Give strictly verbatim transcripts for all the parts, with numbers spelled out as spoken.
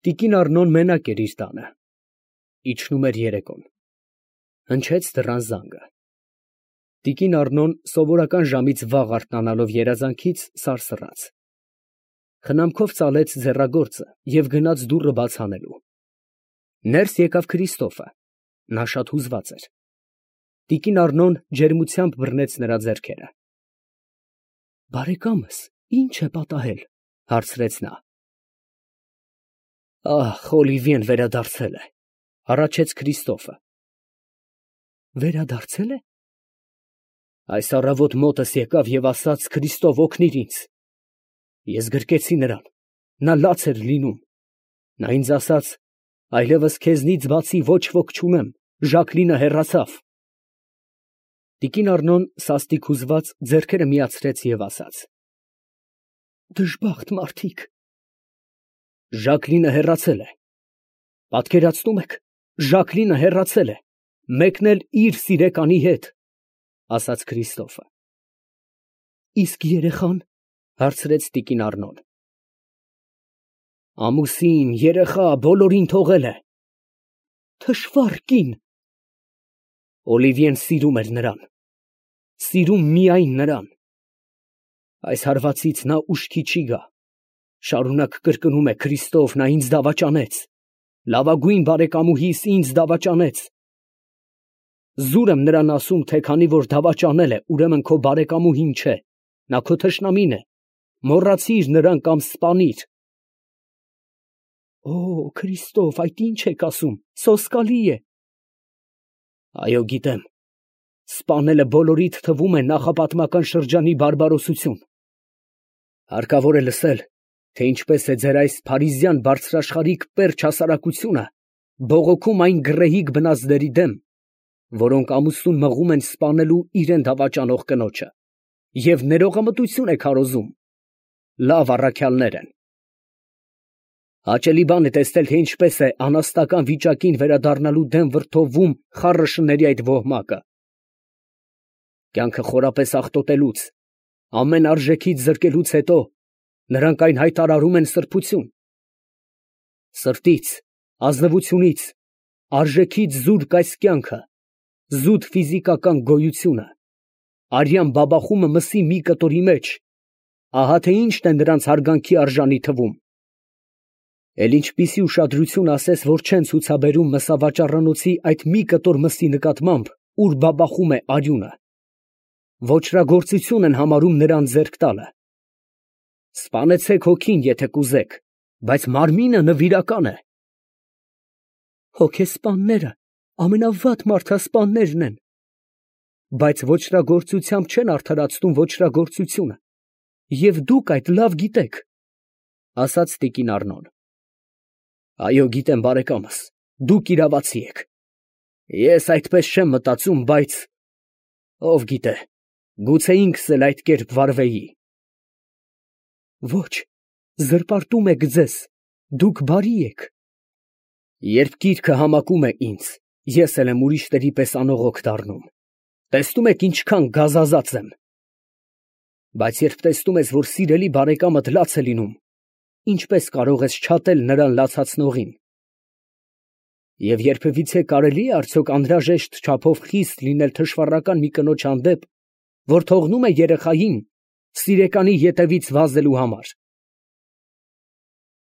Տիկին Առնոն մենակ էր իր տանը։ Իջնում էր երեկոն։ Հնչեց դռան զանգը։ Տիկին Առնոն սովորական ժամից վաղ արթնանալով երազանքից սարսռաց։ Խնամքով ծալեց ձեռագործը և գնաց դուռը բաց անելու։ Ներս եկավ Քրիստոֆը, նա շատ հուզված էր։ Տիկին Առնոն ջերմությամբ բռնեց նրա ձեռքերը։ Բարեկամս, ի՞նչ է պատահել, հարցրեց նա։ Ահ, Օլիվիեն վերադարձել է, հառաչեց Քրիստոֆը։ Վերադարձել է։ Այս առավոտ մոտս եկավ և ասաց. Քրիստով, օգնիր ինձ։ Ես գրկեցի նրան, նա լաց էր լինում։ Նա ինձ ասաց. այլևս քեզնից բացի ոչ ոք չունեմ, Ժակլինը հեռացավ։ Տիկին Առնոն սաստիկ հուզված ձեռքերը միացրեց և ասաց. Դժբախտ մարդիկ։ Ժակլինը հեռացել է։ Պատկերացնում եք, Ժակլինը հեռացել է, մեկն էլ իր սիրեկանի հետ, ասաց Քրիստոֆը։ Իսկ երեխան, հարցրեց տիկին Առնոն։ Ամուսին, երեխա, բոլորին թողել է։ Թշվառ կին։ Օլիվիեն սիրում էր նրան, սիրում միայն նրան։ Այս հարվածից նա ուշքի չի գա, շարունակ կրկնում է. Քրիստով, նա ինձ դավաճանեց, լավագույն բարեկամուհիս ինձ դավաճանեց։ Զուր եմ նրան ասում, թե քանի որ դավաճանել է, ուրեմն քո բարեկամուհին չէ, նա քո թշնամին է, մոռացիր նրան կամ սպանիր։ Օ, Քրիստով, այդ ի՞նչ եք ասում, սոսկալի է։ Այո, գիտեմ, սպանելը բոլորիդ թվում է նախապատմական շրջանի բարբարոսություն։ Հարկավոր է լսել, թե ինչպես է ձեր այս փարիզյան բարձրաշխարհիկ պերճ հասարակությունը բողոքում այն գռեհիկ բնազդերի դեմ, որոնք ամուսնուն մղում են սպանելու իրան դավաճանող կնոջը, և ներողամտություն է քարոզում։ Լավ առաքյալներ են։ Հաճելի բան է տեսնել, թե ինչպես է անաստական վիճակին վերադառնալու դեմ վրդովվում խառը շների այդ ոհմակը։ Կյանքը խորապես աղտոտելուց, ամեն արժեքից զրկելուց հետո նրանք այն հայտարարում են սրբություն։ Սրտից, ազնվությունից, արժեքից զուրկ այս կյանքը, զուտ ֆիզիկական գոյությունը, արյան բաբախումը մսի մի կտորի մեջ, ահա թե ինչն է նրանց հարգանքի արժանի թվում։ Էլ ինչպիսի ուշադրություն ասես, որ չեն ցուցաբերում մսավաճառանոցի այդ մի կտոր մսի նկատմամբ, ուր բաբախում է արյունը։ Ոճրագործություն են համարում նրան ձեռք տալը։ Սպանեցեք հոգին, եթե կուզեք, բայց մարմինը նվիրական է։ Հոգեսպանները ամենավատ մարդասպաններն են, բայց ոճրագործությամբ չեն արդարացնում ոճրագործությունը, և դուք այդ լավ գիտեք, ասաց տիկին Առնոն։ Այո, գիտեմ, բարեկամս, դուք իրավացի եք։ Ես այդպես չեմ մտածում, բայց ով գիտե, գուցե ինքս էլ այդ կերպ վարվեի։ Ոչ, զրպարտում եք ձեզ, դուք բարի եք։ Երբ գիրքը համակում է ինձ, ես էլ եմ ուրիշների պես անողոք դառնում։ Տեսնում եք ինչքան գազազած եմ։ Բայց երբ տեսնում ես, որ սիրելի բարեկամդ լաց է լինում, ինչպես կարող ես չատել նրան լացացնողին։ Եվ երբևիցե կարելի է արդյոք անհրաժեշտ չափով խիստ լինել թշվառական մի կնոջ հանդեպ, որ թողնում է երեխային սիրեկանի ետևից վազելու համար։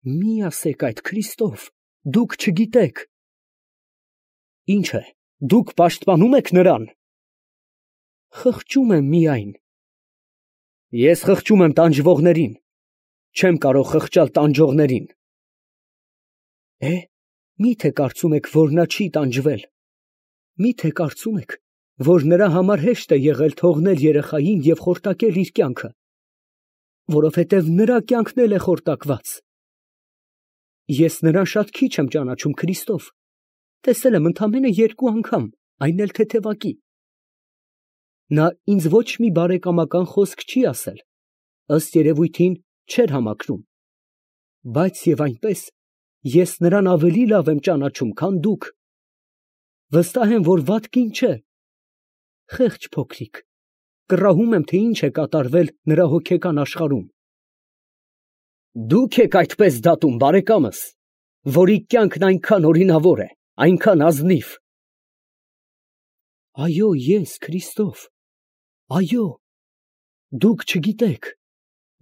Մի ասեք այդ, Քրիստով, դուք չգիտեք։ Ինչ է, դուք պաշտպանում եք նրան։ Խղճում եմ միայն։ Ես խղճում եմ տանջվողներին, չեմ կարող խղճալ տանջողներին։ Է, մի՞թե կարծում եք, որ նա չի տանջվել։ Մի՞թե կարծում եք, որ նրա համար հեշտ է եղել թողնել երեխային և խորտակել իր կյանքը, որովհետև նրա կյանքն էլ է խորտակված։ Ես նրան շատ քիչ եմ ճանաչում, Քրիստով, տեսել եմ ընդամենը երկու անգամ, այն էլ թեթևակի։ Նա ինձ ոչ մի բարեկամական խոսք չի ասել, ըստ երևույթին չէր համակրում, բայց և այնպես ես նրան ավելի լավ եմ ճանաչում, քան դուք։ Վստահ եմ, որ վատ կին չէ։ Խեղճ փոքրիկ, կռահում եմ, թե ինչ է կատարվել նրա հոգեկան աշխարհում։ Դուք եք այդպես դատում, բարեկամս, որի կյանքն այնքան օրինավոր է, այնքան ազնիվ։ Այո, ես Քրիստոֆ, այո, դուք չգիտեք,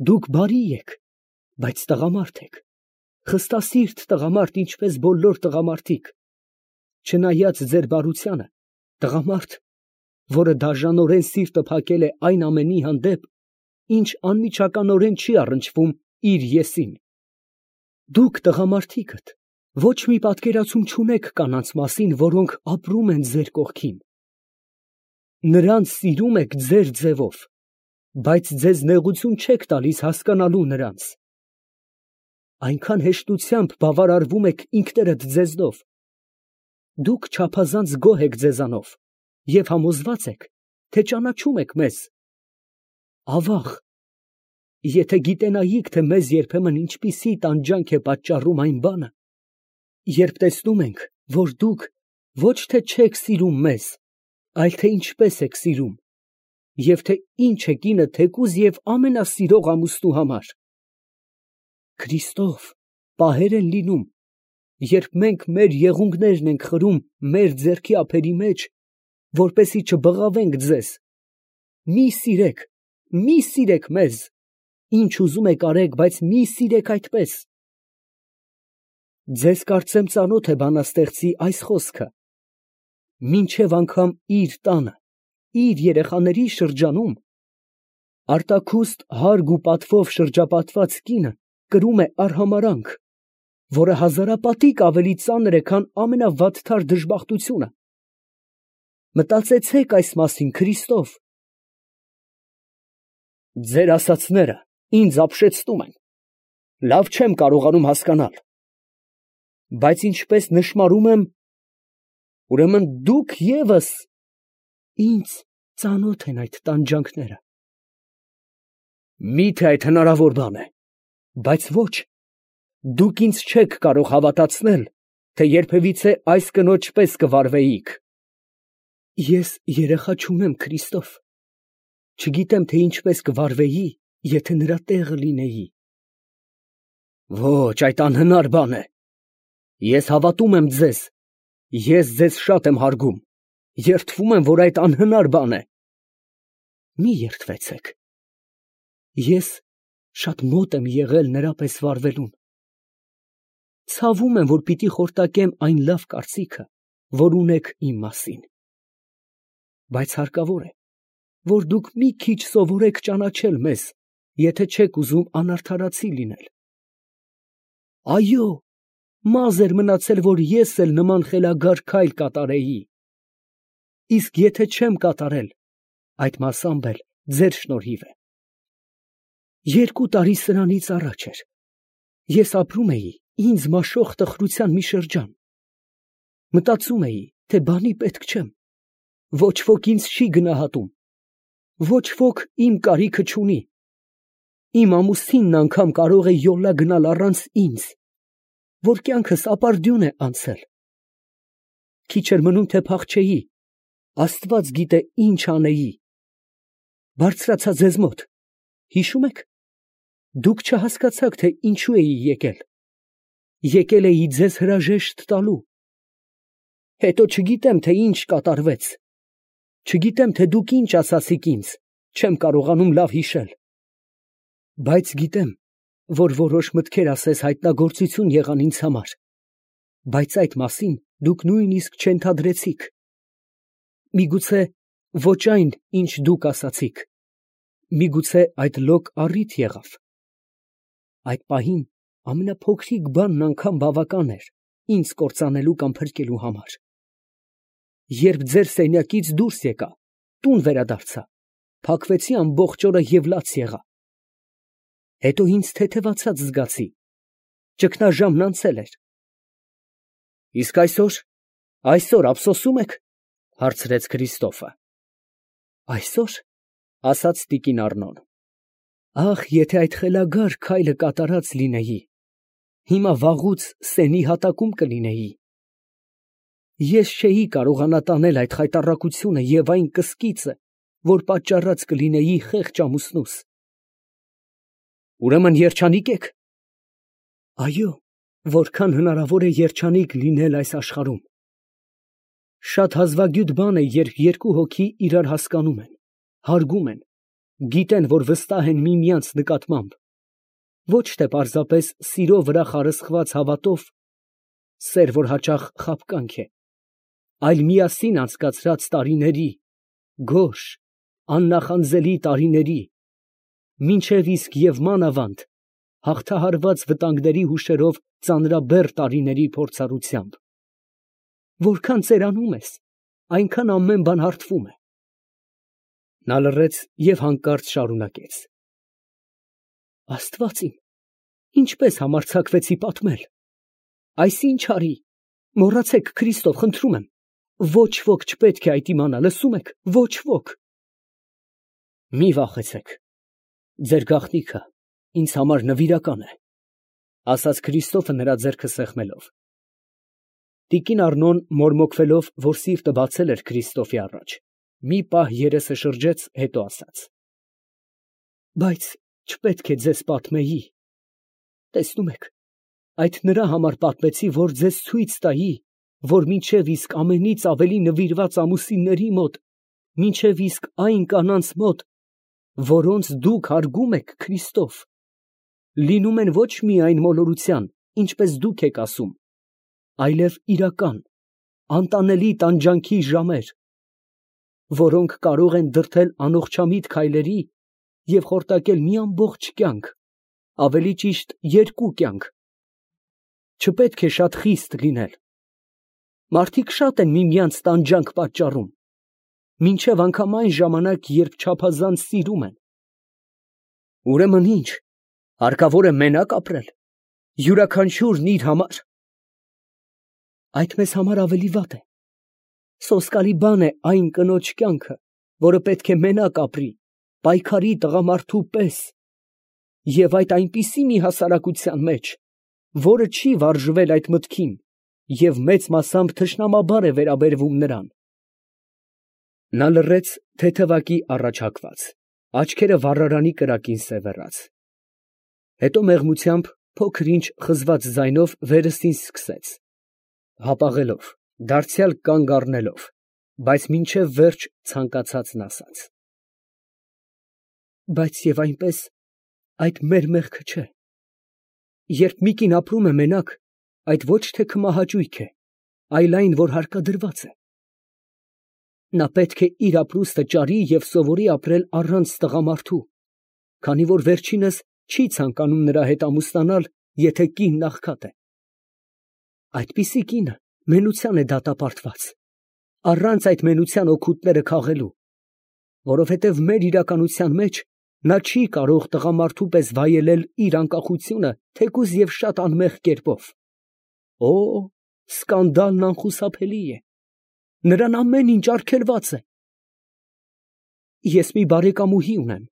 դուք բարի եք, բայց տղամարդ եք, խստասիրտ տղամարդ, ինչպես բոլոր տղամարդիկ, չնայած ձեր բարությանը, տղամարդ, որը դաժանորեն սիրտը փակել է այն ամենի հանդեպ, ինչ անմիջականորեն չի առնչվում իր եսին։ Դուք տղամարդիկդ ոչ մի պատկերացում չունեք կանանց մասին, որոնք ապրում են ձեր կողքին։ Նրանց սիրում եք ձեր ձևով, բայց ձեզ նեղություն չեք տալիս հասկանալու նրանց։ Այնքան հեշտությամբ բավարարվում եք ինքներդ ձեզնով։ Դուք չափազանց գոհ եք ձեզանով և համոզված եք, թե ճանաչում եք մեզ։ Ավաղ, եթե գիտենայիք, թե մեզ երբեմն ինչպիսի տանջանք է պատճառում այն բանը, երբ տեսնում ենք, որ դուք ոչ թե չեք սիրում մեզ, այլ թե ինչպես եք սիրում, և թե ինչ է կինը թեկուզ և ամենասիրող ամուսնու համար։ Քրիստոֆ, պահեր են լինում, երբ մենք մեր եղունգներն ենք խրում մեր ձեռքի ափերի մեջ, որպեսզի չբղավենք ձեզ։ Մի սիրեք, մի սիրեք մեզ, ինչ ուզում եք արեք, բայց մի սիրեք այդպես։ Ձեզ կարծեմ ծանոթ է բանաստեղծի այս խոսքը. մինչև անգամ իր տանը, իր երեխաների շրջանում, արտաքուստ հարգ ու պատվով շրջապատված կինը կրում է արհամարհանք, որը հազարապատիկ ավելի ծանր է, քան ամենավատթար դժբախտությունը։ Մտածեցեք այս մասին, Քրիստոֆ։ Ձեր ասածները ինձ ապշեցնում են, լավ չեմ կարողանում հասկանալ, բայց ինչպես նշմարում եմ, ուրեմն դուք ևս ինձ ծանոթ են այդ տանջանքները։ Մի՞թե այդ հնարավոր բան է, բայց ոչ, դուք ինձ չեք կարող հավատացնել, թե երբևիցե այս կնոջ պես կվարվեիք։ Ես երեխա չունեմ, Քրիստոֆ, չգիտեմ, թե ինչպես կվարվեի, եթե նրա տեղը լինեի։ Ոչ, այդ անհնար բան է։ Ես հավատում եմ ձեզ, ես ձեզ շատ եմ հարգում, երդվում եմ, որ այդ անհնար բան է։ Մի երդվեցեք։ Ես շատ մոտ եմ եղել նրա պես վարվելուն։ Ցավում եմ, որ պիտի խորտակեմ այն լավ կարծիքը, որ ունեք իմ մասին։ Բայց հարկավոր է, որ դուք մի քիչ սովորեք ճանաչել մեզ, եթե չեք ուզում անարդարացի լինել։ Այո, մազ էր մնացել, որ ես էլ նման խելագար քայլ կատարեի։ Իսկ եթե չեմ կատարել, այդ մասամբ էլ ձեր շնորհիվ է։ Երկու տարի սրանից առաջ էր, ես ապրում էի ինձ մաշող տխրության մի շրջան։ Մտածում էի, թե բանի պետք չեմ, ոչ ոք ինձ չի գնահատում, ոչ ոք իմ կարիքը չունի։ Իմ ամուսինն անգամ կարող է յոլա գնալ առանց ինձ, որ կյանքս ապարդյուն է անցել։ Քիչ էր մնում, թե փախչեի, Աստված գիտե ինչ անեի։ Բարձրացա ձեզ մոտ, հիշում եք, դուք չհասկացաք, թե ինչու էի եկել։ Եկել էի ձեզ հրաժեշտ տալու։ Հետո չգիտեմ, թե ինչ կատարվեց։ Չգիտեմ, թե դուք ինչ ասացիք ինձ, չեմ կարողանում լավ հիշել։ Բայց գիտեմ, որ որոշ մտքեր ասես հայտնագործություն եղան ինձ համար, բայց այդ մասին դուք նույնիսկ չենթադրեցիք։ Միգուցե ոչ այն, ինչ դուք ասացիք, միգուցե այդ լոկ առիթ եղավ։ Այդ պահին ամենափոքրիկ բանն անգամ բավական էր ինձ կործանելու կամ փրկելու համար։ Երբ ձեր սենյակից դուրս եկա, տուն վերադարձա, փակվեցի ամբողջ օրը և լաց եղա։ Հետո ինձ թեթևացած զգացի, ճգնաժամն անցել էր։ Իսկ այսօր, այսօր ափսոսում եք, հարցրեց Քրիստոֆը։ Այսօր, ասաց տիկին Առնոն, ախ, եթե այդ խելագար քայլը կատարած լինեի, հիմա վաղուց սենի հատակում կլինեի։ Ես չէի կարողանա տանել այդ խայտառակությունը և այն կսկիծը, որ պատճառած կլինեի խեղճ ամուսնուս։ Ուրեմն երջանիկ եք։ Այո, որքան հնարավոր է երջանիկ լինել այս աշխարհում։ Շատ հազվագյուտ բան է, երբ երկու հոգի իրար հասկանում են, հարգում են, գիտեն, որ վստահ են միմյանց նկատմամբ, ոչ թե պարզապես սիրո վրա խարսխված հավատով, սեր, որ հաճախ խաբկանք է, այլ միասին անցկացրած տարիների, գոհ, աննախանձելի տարիների, մինչև իսկ և մանավանդ հաղթահարված վտանգների հուշերով ծանրաբեռ տարիների փորձառությամբ։ Որքան ծերանում ես, այնքան ամեն բան հարթվում է։ Նա լռեց և հանկարծ շարունակեց. Աստված իմ, ինչպես համարձակվեցի պատմել, այս ինչ արի, մոռացեք Քրիստով, խնդրում եմ, ոչ ոք չպետք է այդ իմանա, լսում եք, ոչ ոք։ Մի վախեցեք, ձեր գաղտնիքը ինձ համար նվիրական է, ասաց Քրիստոֆը նրա ձեռքը սեղմելով։ Տիկին Առնոն մորմոքվելով, որ սիրտը բացել էր Քրիստոֆի առաջ, մի պահ երեսը շրջեց, հետո ասաց. Բայց չպետք է ձեզ պատմեի, տեսնում եք, այդ նրա համար պատմեցի, որ ձեզ ցույց տայի, որ մինչև իսկ ամենից ավելի նվիրված ամուսինների մոտ, մինչև իսկ այն կանանց մոտ, որոնց դուք հարգում եք Քրիստով, լինում են ոչ միայն մոլորության, ինչպես դուք եք ասում, այլև իրական, անտանելի տանջանքի ժամեր, որոնք կարող են դրդել անողջամիտ քայլերի և խորտակել մի ամբողջ կյանք, ավելի ճիշտ երկու կյանք։ Չպետք է շատ խիստ լինել։ Մարդիկ շատ են միմյանց տանջանք պատճառում, մինչև անգամ այն ժամանակ, երբ չափազանց սիրում են։ Ուրեմն ինչ, հարկավոր է մենակ ապրել, յուրաքանչյուրն իր համար։ Այդ մեզ համար ավելի վատ է։ Սոսկալի բան է այն կնոջ կյանքը, որը պետք է մենակ ապրի, պայքարի տղամարդու պես, և այդ այնպիսի մի հասարակության մեջ, որը չի վարժվել այդ մտքին և մեծ մասամբ թշնամաբար է վերաբերվում նրան։ Նա լռեց, թեթևակի առաջհակված, աչքերը վառարանի կրակին սևեռած։ Հետո մեղմությամբ, փոքր-ինչ խզված ձայնով վերստին սկսեց, հապաղելով, դարձյալ կանգ առնելով, բայց մինչև վերջ ցանկացածն ասաց. Բայց և այնպես այդ մեր մեղքը չէ։ Երբ մի կին ապրում է մենակ, այդ ոչ թե քմահաճույք է, այլ այն, որ հարկադրված է։ Նա պետք է իր ապրուստը ճարի և սովորի ապրել առանց տղամարդու, քանի որ վերջինս չի ցանկանում նրա հետ ամուսնանալ, եթե կինն աղքատ է։ Այդպիսի կինը մենության է դատապարտված, առանց այդ մենության օգուտները քաղելու, որովհետև մեր իրականության մեջ նա չի կարող տղամարդու պես վայելել իր անկախությունը, թեկուզ և շատ անմեղ կերպով։ Օ, սկանդալն անխուսափելի է, նրան ամեն ինչ արգելված է։ Ես մի բարեկամուհի ունեմ,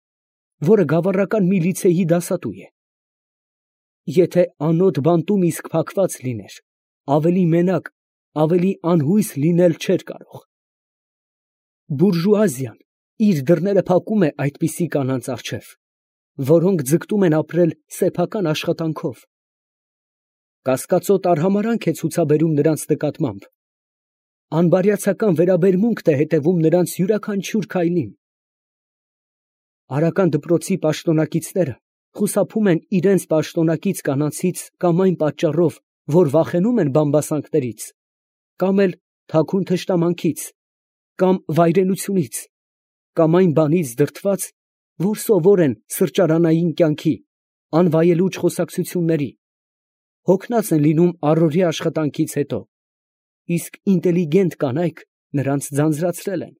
որը գավառական մի լիցեյի դասատու է։ Եթե անոտ բանտում իսկ փակված լիներ, ավելի մենակ, ավելի անհույս լինել չէր կարող։ Բուրժուազիան իր դռները փակում է այդպիսի կանանց առջև, որոնք ձգտում են ապրել սեփական աշխատանքով։ Կասկածոտ արհամարհանք է ցուցաբերում նրանց նկատմամբ, անբարյացակամ վերաբերմունք է հետևում նրանց յուրաքանչյուր քայլին։ Արական դպրոցի պաշտոնակիցները խուսափում են իրենց պաշտոնակից կանանցից կամ այն պատճառով, որ վախենում են բամբասանքներից, կամ էլ թաքուն թշնամանքից, կամ վայրենությունից, կամ այն բանից դրդված, որ սովոր են սրճարանային կյանքի, անվայելուչ խոսակցությունների, հոգնած են լինում առօրյա աշխատանքից հետո, իսկ ինտելիգենտ կանայք նրանց ձանձրացրել են։